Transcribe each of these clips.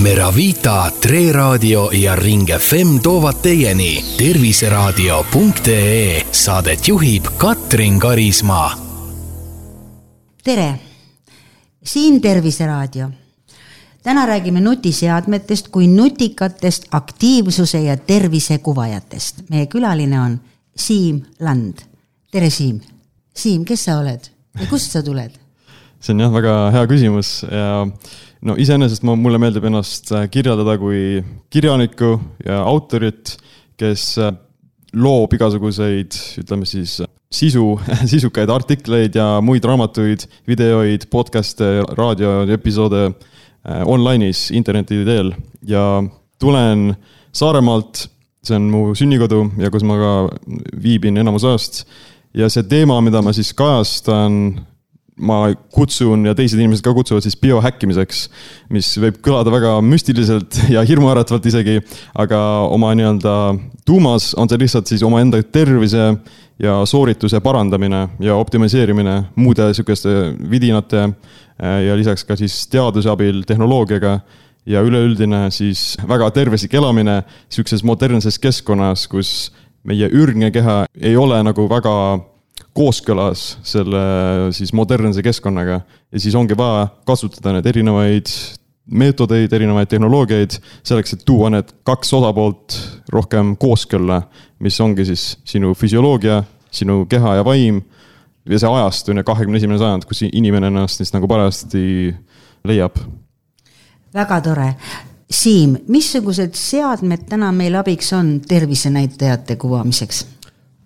Meravita, Tre Radio ja Ring FM toovad teieni terviseraadio.ee. Saadet juhib Katrin Karismaa. Tere! Siin Terviseraadio. Täna räägime nutiseadmetest kui nutikatest aktiivsuse ja tervise kuvajatest. Meie külaline on Siim Land. Tere Siim! Siim, kes sa oled ja kust sa tuled? See on jah väga hea küsimus ja iseenesest mulle meeldib ennast kirjeldada kui kirjanikku ja autorit, kes loob igasuguseid, ütleme siis, sisukaid artikleid ja muid raamatuid, videoid, podcaste, raadioepisoode online'is, interneti teel. Ja tulen Saaremaalt, see on mu sünnikodu ja kus ma ka viibin enamus ajast. Ja see teema, mida ma siis kajastan, ma kutsun ja teised inimesed ka kutsuvad siis biohäkkimiseks, mis võib kõlada väga müstiliselt ja hirmuäratvalt isegi, aga oma nii-öelda tuumas on see lihtsalt siis oma enda tervise ja soorituse parandamine ja optimiseerimine muude sükeste vidinate ja lisaks ka siis teaduse abil tehnoloogiaga ja üleüldine siis väga tervislik elamine sükses modernses keskkonnas, kus meie ürgne keha ei ole nagu väga kooskõlas selle siis modernse keskkonnaga ja siis ongi vaja kasutada need erinevaid meetodeid, erinevaid tehnoloogiaid selleks, et tuua need kaks osapoolt rohkem kooskõlla, mis ongi siis sinu füsioloogia, sinu keha ja vaim ja see ajastune 21. sajand, kus inimene ennast siis nagu parajasti leiab. Väga tore. Siim, missugused seadmed täna meil abiks on tervisenäitajate kuvamiseks?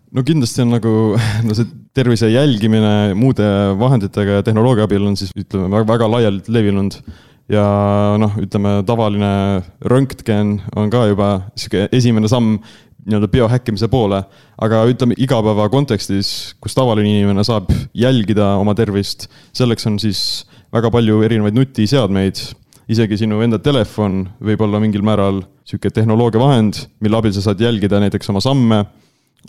No kindlasti on nagu see tervise jälgimine muude vahenditega ja tehnoloogia abil on siis ütleme väga laialt levinud ja ütleme tavaline röntgen on ka juba esimene samm nii-öelda biohäkkimise poole, aga ütleme igapäeva kontekstis, kus tavaline inimene saab jälgida oma tervist, selleks on siis väga palju erinevaid nutiseadmeid, isegi sinu enda telefon võib olla mingil määral selline tehnoloogia vahend, mille abil sa saad jälgida näiteks oma samme,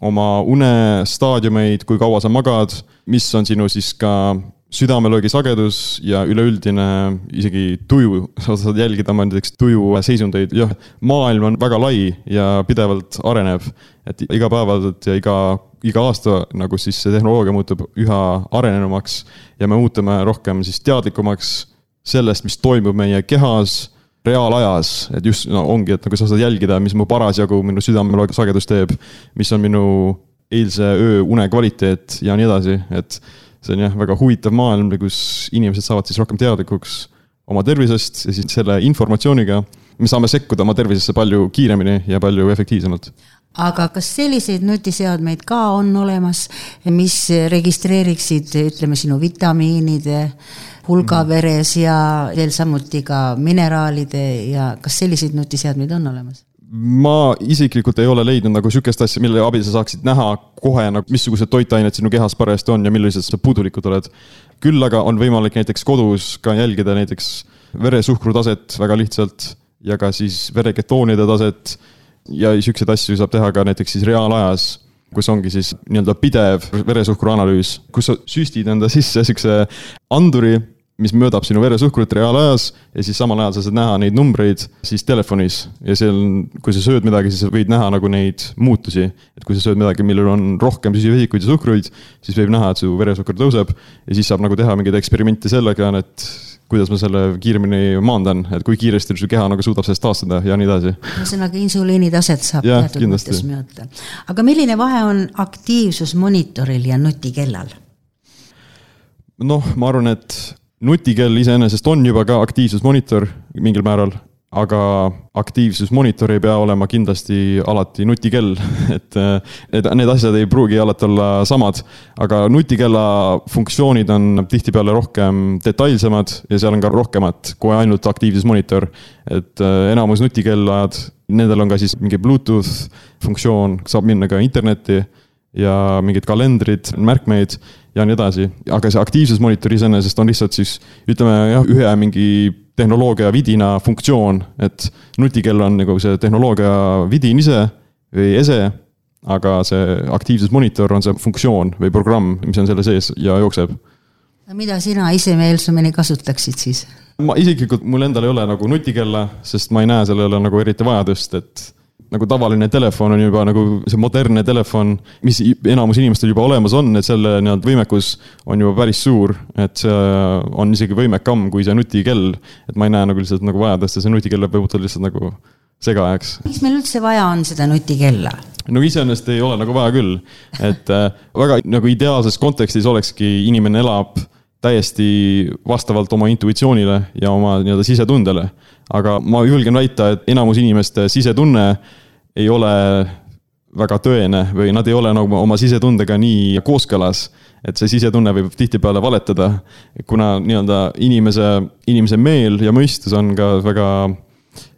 oma une staadiumeid, kui kaua sa magad, mis on sinu siis ka südamelöögi sagedus ja üleüldine isegi tuju, sa saad jälgida oma näiteks tuju seisundeid. Ja, maailm on väga lai ja pidevalt areneb, et iga päevalt ja iga aasta nagu siis see tehnoloogia muutub üha arenenumaks ja me muutume rohkem siis teadlikumaks sellest, mis toimub meie kehas, reaalajas, et just ongi, et nagu sa saad jälgida, mis mu parasjagu minu südamelöögi sagedus teeb, mis on minu eilse öö une kvaliteet ja nii edasi, et see on jah väga huvitav maailm, kus inimesed saavad siis rohkem teadlikuks oma tervisest ja siis selle informatsiooniga me saame sekkuda oma tervisesse palju kiiremini ja palju efektiivsemalt. Aga kas selliseid nutiseadmeid ka on olemas, mis registreeriksid, ütleme, sinu vitamiinide hulga veres ja veel samuti ka mineraalide ja kas selliseid nutiseadmeid on olemas? Ma isiklikult ei ole leidnud nagu sükest asja, mille abil sa saaksid näha kohe, missugused toitained sinu kehas parajasti on ja millised sa puudulikud oled. Küll aga on võimalik näiteks kodus ka jälgida näiteks veresuhkru taset väga lihtsalt ja ka siis vereketoonide taset ja sükseid asju saab teha ka näiteks siis reaalajas, kus ongi siis nii-öelda pidev veresuhkru analüüs, kus sa süstid enda sisse sükse anduri, mis möödab sinu veresuhkrut reaalajas ja siis samal ajal sa saad näha neid numbreid siis telefonis ja kui sa sööd midagi, siis võid näha nagu neid muutusi, et kui sa sööd midagi, millel on rohkem süsivesikuid ja suhkruid, siis võib näha, et su veresuhkur tõuseb ja siis saab nagu teha mingeid eksperimente sellega, et kuidas ma selle kiiremini maandan, et kui kiiresti su keha nagu suudab sellest taastada ja nii edasi. Ühesõnaga insuliini taset saab teatud mõttes mõõta. Aga milline vahe on aktiivsusmonitoril ja nutikellal? Ma arvan, et nutikell iseenesest on juba ka aktiivsusmonitor mingil määral, aga aktiivsusmonitor ei pea olema kindlasti alati nutikell, et need asjad ei pruugi alati olla samad, aga nutikella funktsioonid on tihtipeale rohkem detailsemad ja seal on ka rohkemat kui ainult aktiivsusmonitor, et enamus nutikellad, nendel on ka siis mingi Bluetooth funktsioon, saab minna ka internetti ja mingid kalendrid, märkmeid ja nii edasi. Aga see aktiivsusmonitor iseenesest on lihtsalt siis, ütleme, ühe mingi tehnoloogia vidina funktsioon, et nutikell on nagu see tehnoloogia vidin ise või ese, aga see aktiivsusmonitor on see funktsioon või programm, mis on selle sees ja jookseb. Mida sina ise meelsumeni kasutaksid siis? Ma isiklikult mul endal ei ole nagu nutikella, sest ma ei näe sellele nagu eriti vajadust, et nagu tavaline telefon on juba nagu see modernne telefon, mis enamus inimestel juba olemas on, et selle võimekus on juba päris suur, et see on isegi võimekam kui see nutikell, et ma ei näe nagu lihtsalt nagu vajadust ja see nutikell võib lihtsalt nagu segajaks. Miks meil üldse vaja on seda nutikella? No iseenesest ei ole nagu vaja küll, et väga nagu ideaalses kontekstis olekski inimene elab täiesti vastavalt oma intuitsioonile ja oma sisetundele. Aga ma julgen väita, et enamus inimeste sisetunne ei ole väga tõene või nad ei ole nagu oma sisetundega nii kooskõlas, et see sisetunne võib tihtipeale valetada, kuna inimese meel ja mõistus on ka väga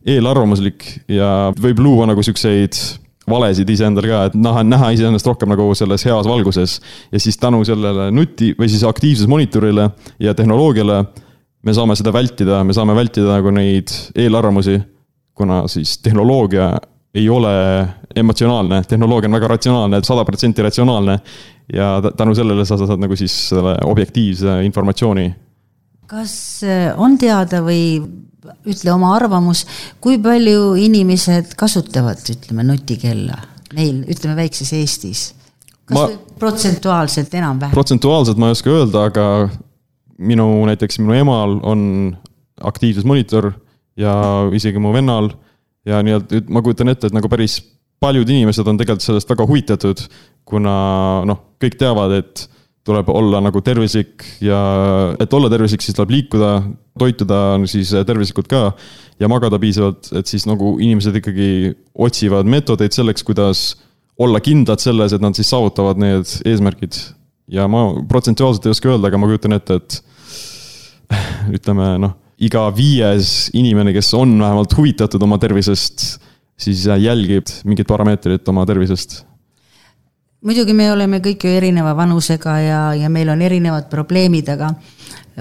eelarvamuslik ja võib luua nagu sükseid valesid iseendal ka, et näha iseennast rohkem nagu selles heas valguses ja siis tänu sellele või siis aktiivses monitorile ja tehnoloogiale me saame seda vältida, nagu neid eelarvamusi, kuna siis tehnoloogia ei ole emotsionaalne, tehnoloogia on väga ratsionaalne, 100% ratsionaalne ja tänu sellele sa saad nagu siis selle objektiivse informatsiooni. Kas on teada või ütle oma arvamus, kui palju inimesed kasutavad, nutikella meil, väikses Eestis? Kas protsentuaalselt enam-vähem? Protsentuaalselt ma ei oska öelda, aga minu emal on aktiivses monitor ja isegi mu vennal ja ma kujutan ette, et nagu päris paljud inimesed on tegelikult sellest väga huvitatud, kuna kõik teavad, et tuleb olla nagu tervislik ja et olla tervislik, siis tuleb liikuda, toituda siis tervislikult ka ja magada piisavalt, et siis nagu inimesed ikkagi otsivad meetodeid selleks, kuidas olla kindlad selles, et nad siis saavutavad need eesmärgid. Ja ma protsentuaalselt ei oska öelda, aga ma kujutan ette, et iga 5 inimene, kes on vähemalt huvitatud oma tervisest, siis jälgib mingit parameetrit oma tervisest. Muidugi me oleme kõik ju erineva vanusega ja meil on erinevad probleemid, aga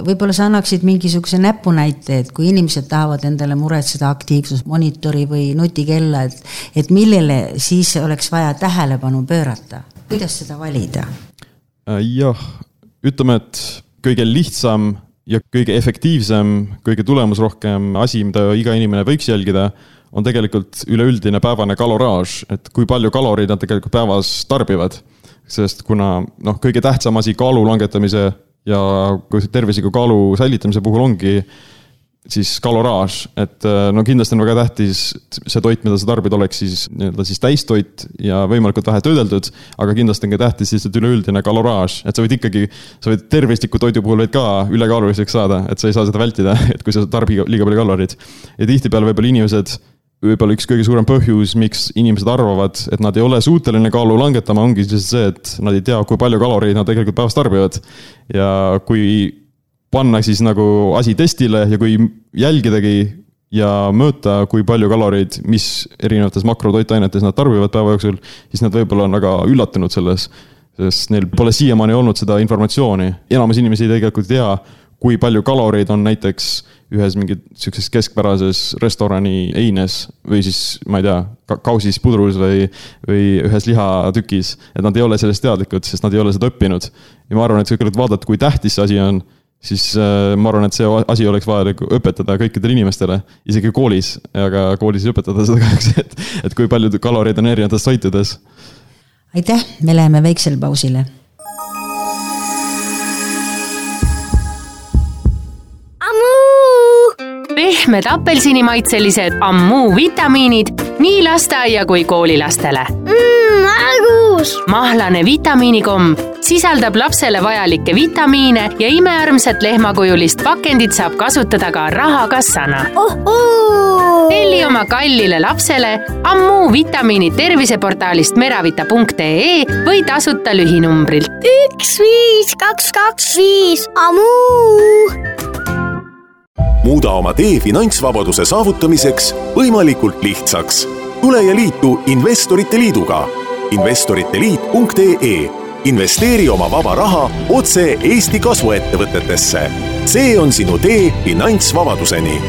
võib-olla sa annaksid mingisuguse näpunäite, et kui inimesed tahavad endale muretseda aktiivsusmonitori või nutikella, et millele siis oleks vaja tähelepanu pöörata? Kuidas seda valida? Jah, ütleme, et kõige lihtsam ja kõige efektiivsem, kõige tulemusrohkem asi, mida iga inimene võiks jälgida, on tegelikult üleüldine päevane kaloraaž, et kui palju kaloreid nad tegelikult päevas tarbivad. Sest kuna kõige tähtsam asi kaalu langetamise ja tervisliku kaalu säilitamise puhul ongi siis kaloraaž, et kindlasti on väga tähtis see toit, mida sa tarbid, oleks siis täistoit ja võimalikult vähe töödeldud, aga kindlasti on ka tähtis siis üleüldine kaloraaž, et sa võid tervisliku toidu puhul võid ka ülekaaluliseks saada, et sa ei saa seda vältida, et kui sa tarbi liiga palju kaloreid. Ja tihtipeale võib-olla inimesed võib-olla üks kõige suurem põhjus, miks inimesed arvavad, et nad ei ole suuteline kaalu langetama, ongi see, et nad ei tea, kui palju kaloreid nad tegelikult päevas tarbivad. Ja kui panna siis nagu asi testile ja kui jälgidagi ja mõõta, kui palju kaloreid, mis erinevates makrotoitainetes nad tarbivad päeva jooksul, siis nad võib-olla on väga üllatunud selles, sest neil pole siiamaani olnud seda informatsiooni. Enamus inimesi tegelikult ei tea, kui palju kaloreid on näiteks ühes mingit keskpärases restorani eines või siis, ma ei tea, kausis pudrus või ühes lihatükis, et nad ei ole sellest teadlikud, sest nad ei ole seda õppinud. Ja ma arvan, et kui vaadata, kui tähtis see asi on, siis ma arvan, et see asi oleks vaja õpetada kõikidele inimestele, isegi koolis, aga koolis ei õpetada seda kahjuks, et kui palju kaloreid on erinevates toitudes. Aitäh, me läheme väiksel pausile. Pehmed apelsinimaitselised Ammu vitamiinid nii lasteaia kui koolilastele. Argus! Mahlane vitamiinikomm sisaldab lapsele vajalikke vitamiine ja imearmsat lehmakujulist pakendit saab kasutada ka rahakassana. Telli oma kallile lapsele Ammu vitamiinid terviseportaalist meravita.ee või tasuta lühinumbrilt 15225 Ammu! Muuda oma tee finantsvabaduse saavutamiseks võimalikult lihtsaks. Tule ja liitu Investorite Liiduga. Investoriteliit.ee. Investeeri oma vaba raha otse Eesti kasvuettevõtetesse. See on sinu tee finantsvabaduseni.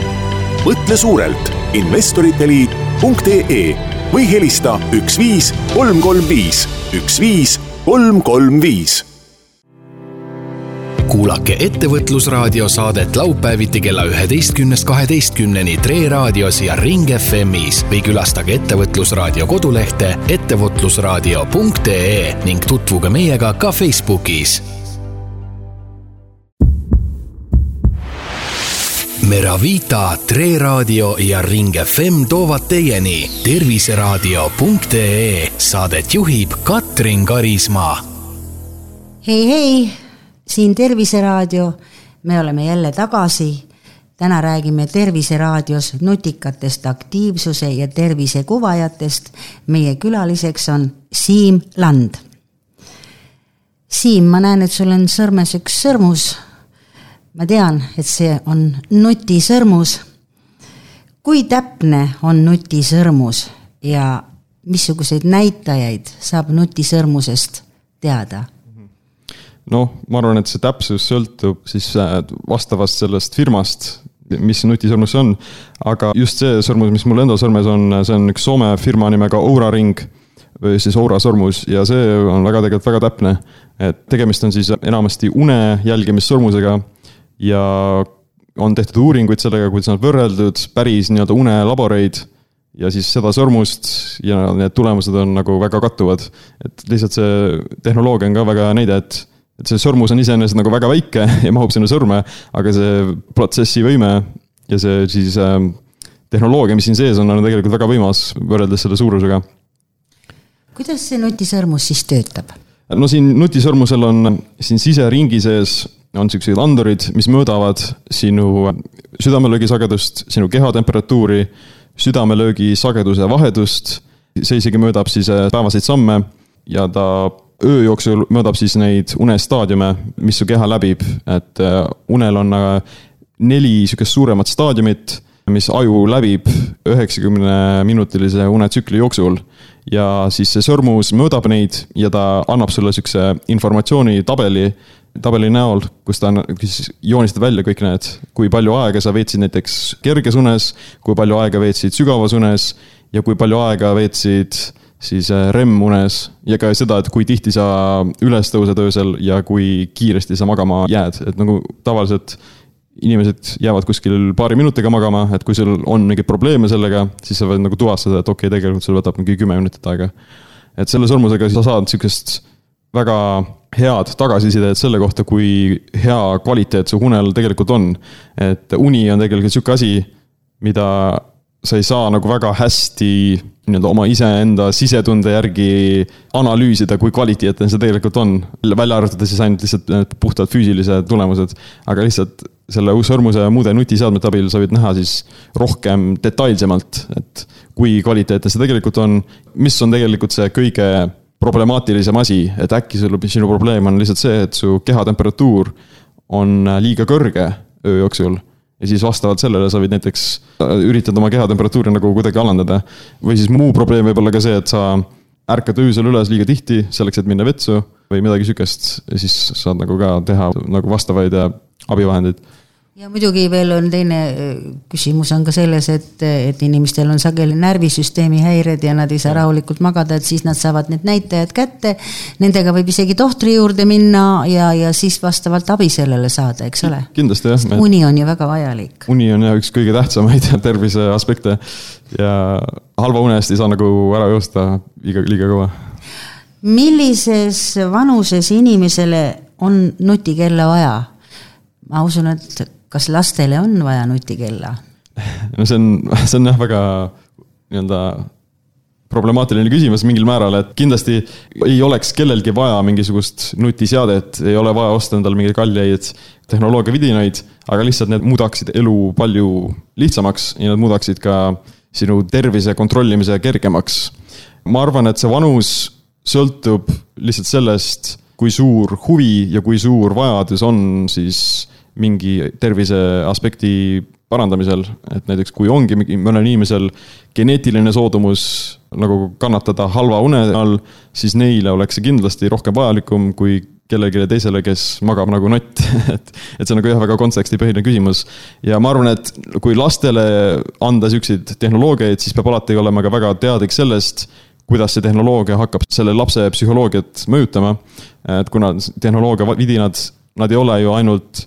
Mõtle suurelt Investoriteliit.ee või helista 15335 15335. kuulake Ettevõtlusraadio saadet laupäeviti kella 11.12 Tre raadios ja Ring FM'is või külastage Ettevõtlusraadio kodulehte ettevõtlusraadio.ee ning tutvuge meiega ka Facebookis. Meravita, Tre raadio ja Ring FM toovad teieni terviseraadio.ee. Saadet juhib Katrin Karismaa. Hei, siin Terviseraadio. Me oleme jälle tagasi. Täna räägime Terviseraadios nutikatest aktiivsuse ja tervisekuvajatest. Meie külaliseks on Siim Land. Siim, ma näen, et sul on sõrmes üks sõrmus. Ma tean, et see on nutisõrmus. Kui täpne on nutisõrmus ja missuguseid näitajaid saab nutisõrmusest teada? Ma arvan, et see täpsus sõltub siis vastavast sellest firmast, mis nutisõrmus on. Aga just see sõrmus, mis mul enda sõrmes on, see on üks Soome firma nimega Oura Ring või siis Oura sõrmus ja see on tegelikult väga täpne. Et tegemist on siis enamasti une jälgimissõrmusega ja on tehtud uuringuid sellega, kuidas nad võrreldud päris nii-öelda unelaboreid ja siis seda sõrmust ja need tulemused on nagu väga kattuvad. Et lihtsalt see tehnoloogia on ka väga näide, et see sõrmus on iseenesest nagu väga väike ja mahub sinna sõrme, aga see protsessi võime ja see siis tehnoloogia, mis siin sees on tegelikult väga võimas võrreldes selle suurusega. Kuidas see nutisõrmus siis töötab? Siin nutisõrmusel on siin siseringi sees on sellised andurid, mis mõõdavad sinu südamelöögi sagedust, sinu kehatemperatuuri, südamelöögi sageduse vahedust, see isegi mõõdab siis päevaseid samme ja ta öö jooksul mõõdab siis neid unestaadiume, mis su keha läbib, et unel on 4 sükest suuremat staadiumit, mis aju läbib 90-minutilise unetsükli jooksul ja siis see sõrmus mõõdab neid ja ta annab sulle sükse informatsiooni tabeli näol, kus ta joonistab välja kõik need, kui palju aega sa veetsid näiteks kerges unes, kui palju aega veetsid sügavas unes ja kui palju aega veetsid siis REM-unes ja ka seda, et kui tihti sa üles tõused öösel ja kui kiiresti sa magama jääd. Et nagu tavaliselt inimesed jäävad kuskil paari minutiga magama, et kui sul on mingid probleeme sellega, siis sa võid nagu tuvastada, et okei, tegelikult sul võtab mingi 10 minutit aega. Et selle sõrmusega sa saad sellisest väga head tagasisidet selle kohta, kui hea kvaliteet su unel tegelikult on. Et uni on tegelikult selline asi, mida sa ei saa nagu väga hästi oma iseenda sisetunde järgi analüüsida, kui kvaliteetne see tegelikult on. Välja arvatud siis ainult lihtsalt puhtalt füüsilised tulemused, aga lihtsalt selle sõrmuse ja muude nutiseadmete abil sa võid näha siis rohkem detailsemalt, et kui kvaliteetne see tegelikult on, mis on tegelikult see kõige problemaatilisem asi, et äkki sinu probleem on lihtsalt see, et su kehatemperatuur on liiga kõrge öö jooksul ja siis vastavalt sellele sa võid näiteks üritada oma kehatemperatuuri nagu kuidagi alandada. Või siis muu probleem võib olla ka see, et sa ärkad öösel üles liiga tihti selleks, et minna vetsu või midagi sükest ja siis saad nagu ka teha nagu vastavaid abivahendeid. Ja muidugi veel on teine küsimus on ka selles, et inimestel on sageli närvisüsteemi häired ja nad ei saa rahulikult magada, et siis nad saavad need näitajad kätte. Nendega võib isegi tohtri juurde minna ja siis vastavalt abi sellele saada, eks ole? Kindlasti jah. Uni on ju väga vajalik. Uni on jah üks kõige tähtsamaid tervise aspekte ja halva une eest ei saa nagu ära joosta liiga kõva. Millises vanuses inimesele on nutikella vaja? Ma usun, et kas lastele on vaja nutikella? No see on jah väga problemaatiline küsimus mingil määral, et kindlasti ei oleks kellelgi vaja mingisugust nutiseadet, ei ole vaja osta endal mingeid kalleid tehnoloogia vidinaid, aga lihtsalt need muudaksid elu palju lihtsamaks ja need muudaksid ka sinu tervise kontrollimise kergemaks. Ma arvan, et see vanus sõltub lihtsalt sellest, kui suur huvi ja kui suur vajadus on siis mingi tervise aspekti parandamisel, et näiteks kui ongi mõnel inimesel geneetiline soodumus nagu kannatada halva une all, siis neile oleks see kindlasti rohkem vajalikum kui kellelegi teisele, kes magab nagu nott. et see on nagu jah väga kontekstipõhine küsimus. Ja ma arvan, et kui lastele anda selliseid tehnoloogiaid, siis peab alati olema ka väga teadlik sellest, kuidas see tehnoloogia hakkab selle lapse psühholoogiat mõjutama. Et kuna tehnoloogia vidinad nad ei ole ju ainult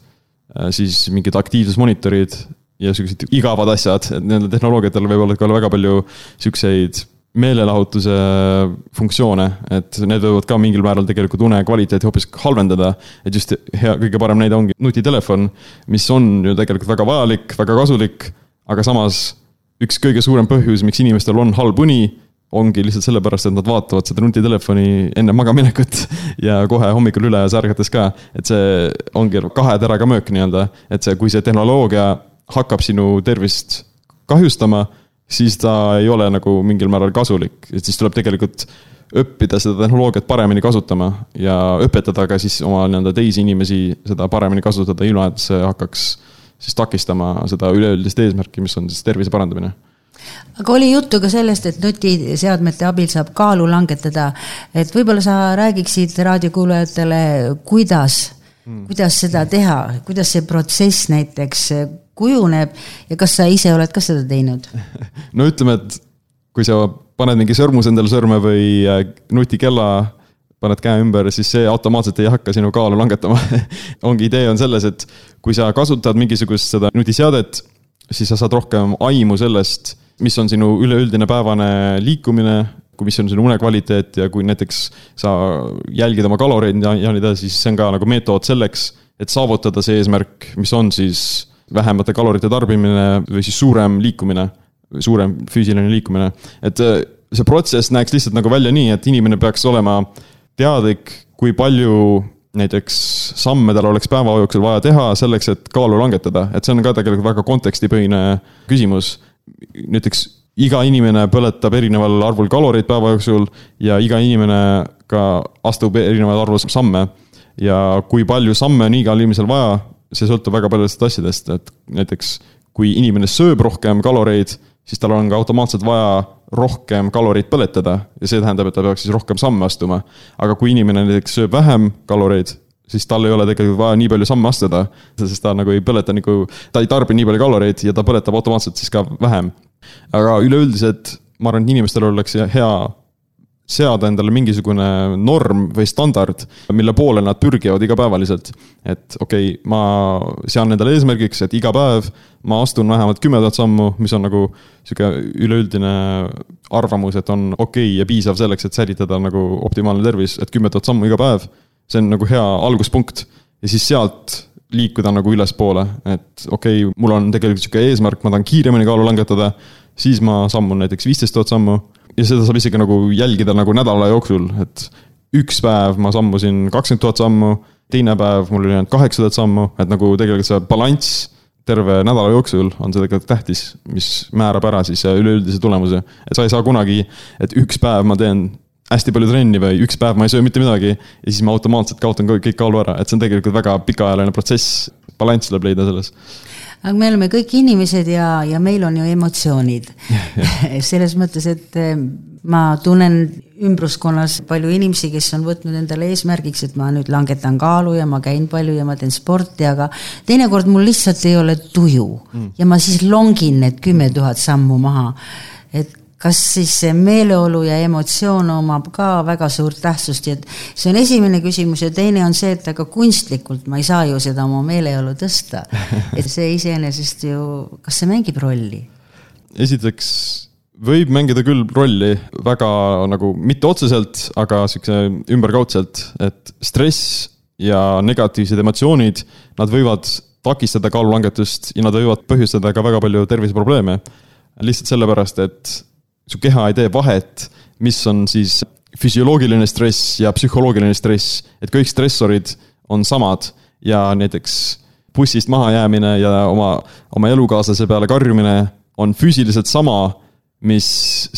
siis mingid aktiivsusmonitorid ja sellised igavad asjad, et nendel tehnoloogiatel võib olla ka väga palju selliseid meelelahutuse funktsioone, et need võivad ka mingil määral tegelikult une kvaliteeti hoopis halvendada, et just kõige parem näide ongi nutitelefon, mis on ju tegelikult väga vajalik, väga kasulik, aga samas üks kõige suurem põhjus, miks inimestel on halb uni, ongi lihtsalt sellepärast, et nad vaatavad seda nutitelefoni enne magaminekut ja kohe hommikul üle särgates ka, et see ongi 2 teraga möök nii-öelda, et see, kui see tehnoloogia hakkab sinu tervist kahjustama, siis ta ei ole nagu mingil määral kasulik, et siis tuleb tegelikult õppida seda tehnoloogiat paremini kasutama ja õpetada ka siis oma teisi inimesi seda paremini kasutada, ilma et see hakkaks siis takistama seda üleüldist eesmärki, mis on siis tervise parandamine. Aga oli juttu ka sellest, et nutiseadmete abil saab kaalu langetada, et võib-olla sa räägiksid raadiokuulajatele, kuidas seda teha, kuidas see protsess näiteks kujuneb ja kas sa ise oled ka seda teinud? No ütleme, et kui sa paned mingi sõrmus endale sõrme või nutikella, paned käe ümber, siis see automaatselt ei hakka sinu kaalu langetama. Ongi idee on selles, et kui sa kasutad mingisugust seda nutiseadet, siis sa saad rohkem aimu sellest, mis on sinu üleüldine päevane liikumine, kui mis on sinu une kvaliteet ja kui näiteks sa jälgid oma kaloreid ja nii edasi, siis see on ka nagu meetod selleks, et saavutada see eesmärk, mis on siis vähemate kalorite tarbimine või siis suurem liikumine, suurem füüsiline liikumine. Et see protsess näeks lihtsalt nagu välja nii, et inimene peaks olema teadlik, kui palju näiteks samme tal oleks päeva jooksul vaja teha selleks, et kaalu langetada. Et see on ka tegelikult väga kontekstipõhine küsimus. Näiteks iga inimene põletab erineval arvul kaloreid päeva jooksul ja iga inimene ka astub erineval arvul samme. Ja kui palju samme on igal inimesel vaja, see sõltub väga paljudest asjadest, et näiteks kui inimene sööb rohkem kaloreid, siis tal on ka automaatselt vaja rohkem kaloreid põletada ja see tähendab, et ta peaks siis rohkem samme astuma. Aga kui inimene näiteks sööb vähem kaloreid, siis tal ei ole tegelikult vaja nii palju samme astuda, sest ta nagu ei põleta, ta ei tarbi nii palju kaloreid ja ta põletab automaatselt siis ka vähem. Aga üleüldiselt ma arvan, et inimestel oleks hea seada endale mingisugune norm või standard, mille poole nad pürgivad igapäevaliselt. Et okei, ma sean endale eesmärgiks, et iga päev ma astun vähemalt 10 000 sammu, mis on nagu üleüldine arvamus, et on okei ja piisav selleks, et säilitada nagu optimaalne tervis, et 10 000 sammu iga päev, see on nagu hea alguspunkt. Ja siis sealt liikuda nagu ülespoole, et okei, mul on tegelikult selline eesmärk, ma tahan kiiremini kaalu langetada, siis ma sammun näiteks 15 000 sammu ja seda saab isegi nagu jälgida nagu nädala jooksul, et üks päev ma sammusin 20 000 sammu, teine päev mul oli 8 000 sammu, et nagu tegelikult see balanss terve nädala jooksul on see tegelikult tähtis, mis määrab ära siis üleüldise tulemuse. Et sa ei saa kunagi, et üks päev ma teen hästi palju trenni või üks päev ma ei söö mitte midagi ja siis ma automaatselt kaotan kõik kaalu ära, et see on tegelikult väga pikaajaline protsess, balanss tuleb leida selles. Aga me oleme kõik inimesed ja meil on ju emotsioonid. Selles mõttes, et ma tunnen ümbruskonnas palju inimesi, kes on võtnud endale eesmärgiks, et ma nüüd langetan kaalu ja ma käin palju ja ma teen sporti, aga teinekord mul lihtsalt ei ole tuju ja ma siis longin need 10 000 sammu maha. Et kas siis see meeleolu ja emotsioon omab ka väga suurt tähtsust, et see on esimene küsimus ja teine on see, et aga kunstlikult ma ei saa ju seda oma meeleolu tõsta. Et see iseenesest ju, kas see mängib rolli? Esiteks võib mängida küll rolli väga nagu mitte otseselt, aga ümberkaudselt, et stress ja negatiivsed emotsioonid, nad võivad takistada kaalulangetust ja nad võivad põhjustada ka väga palju terviseprobleeme. Lihtsalt sellepärast, et su keha ei tee vahet, mis on siis füsioloogiline stress ja psühholoogiline stress, et kõik stressorid on samad ja näiteks bussist maha jäämine ja oma elukaaslase peale karjumine on füüsiliselt sama, mis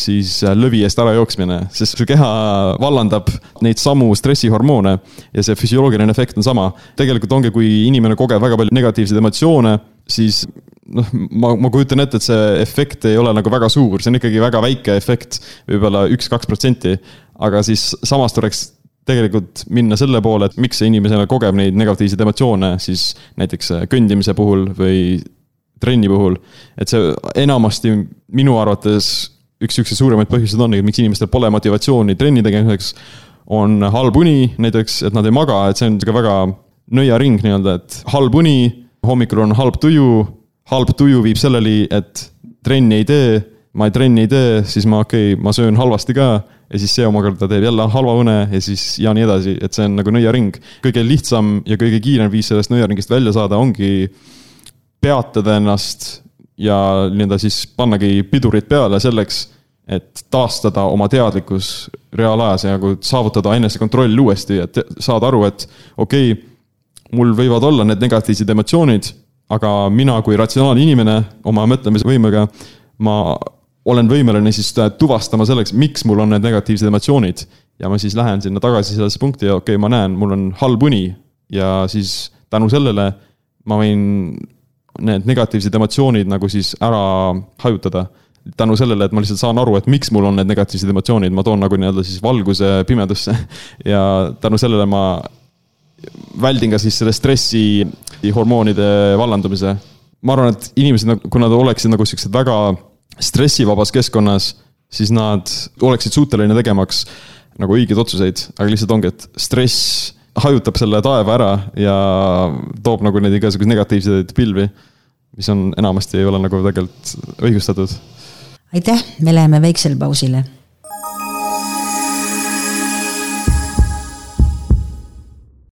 siis lõvi eest ära jooksmine, sest su keha vallandab neid samu stressihormoone ja see füsioloogiline efekt on sama. Tegelikult ongi, kui inimene kogeb väga palju negatiivseid emotsioone, siis ma kujutan ette, et see efekt ei ole nagu väga suur, see on ikkagi väga väike efekt, võib-olla 1-2%, aga siis samas tuleks tegelikult minna selle poole, et miks see inimesena kogeb neid negatiivseid emotsioone, siis näiteks kõndimise puhul või trenni puhul, et see enamasti minu arvates üks suuremaid põhjused on, miks inimestel pole motivatsiooni trenni tegemiseks, on halb uni näiteks, et nad ei maga, et see on väga nõiaring nii-öelda, et halb uni, hommikul on halb tuju viib selleli, et trenni ei tee, ma trenni ei tee, siis ma söön halvasti ka ja siis see omakorda teeb jälle halva une ja siis ja nii edasi, et see on nagu nõiaring. Kõige lihtsam ja kõige kiirem viis sellest nõiaringist välja saada ongi peatada ennast ja nii-öelda siis pannagi pidurid peale selleks, et taastada oma teadlikkus reaalajas ja nagu saavutada enesekontroll uuesti, et saada aru, et mul võivad olla need negatiivsed emotsioonid, aga mina kui ratsionaalne inimene oma mõtlemisvõimega, ma olen võimeline siis tuvastama selleks, miks mul on need negatiivsed emotsioonid ja ma siis lähen sinna tagasi sellesse punkti ja ma näen, mul on halb uni ja siis tänu sellele ma võin need negatiivsed emotsioonid nagu siis ära hajutada. Tänu sellele, et ma lihtsalt saan aru, et miks mul on need negatiivsed emotsioonid, ma toon nagu nii-öelda siis valguse pimedusse ja tänu sellele ma väldin ka siis selle stressi hormoonide vallandumise. Ma arvan, et inimesed, kui nad oleksid nagu sellised väga stressivabas keskkonnas, siis nad oleksid suuteline tegemaks nagu õigeid otsuseid, aga lihtsalt ongi, et stress hajutab selle taeva ära ja toob nagu neid igasugused negatiivseid pilvi, mis on enamasti ei ole nagu tegelikult õigustatud. Aitäh, me läheme väiksele pausile.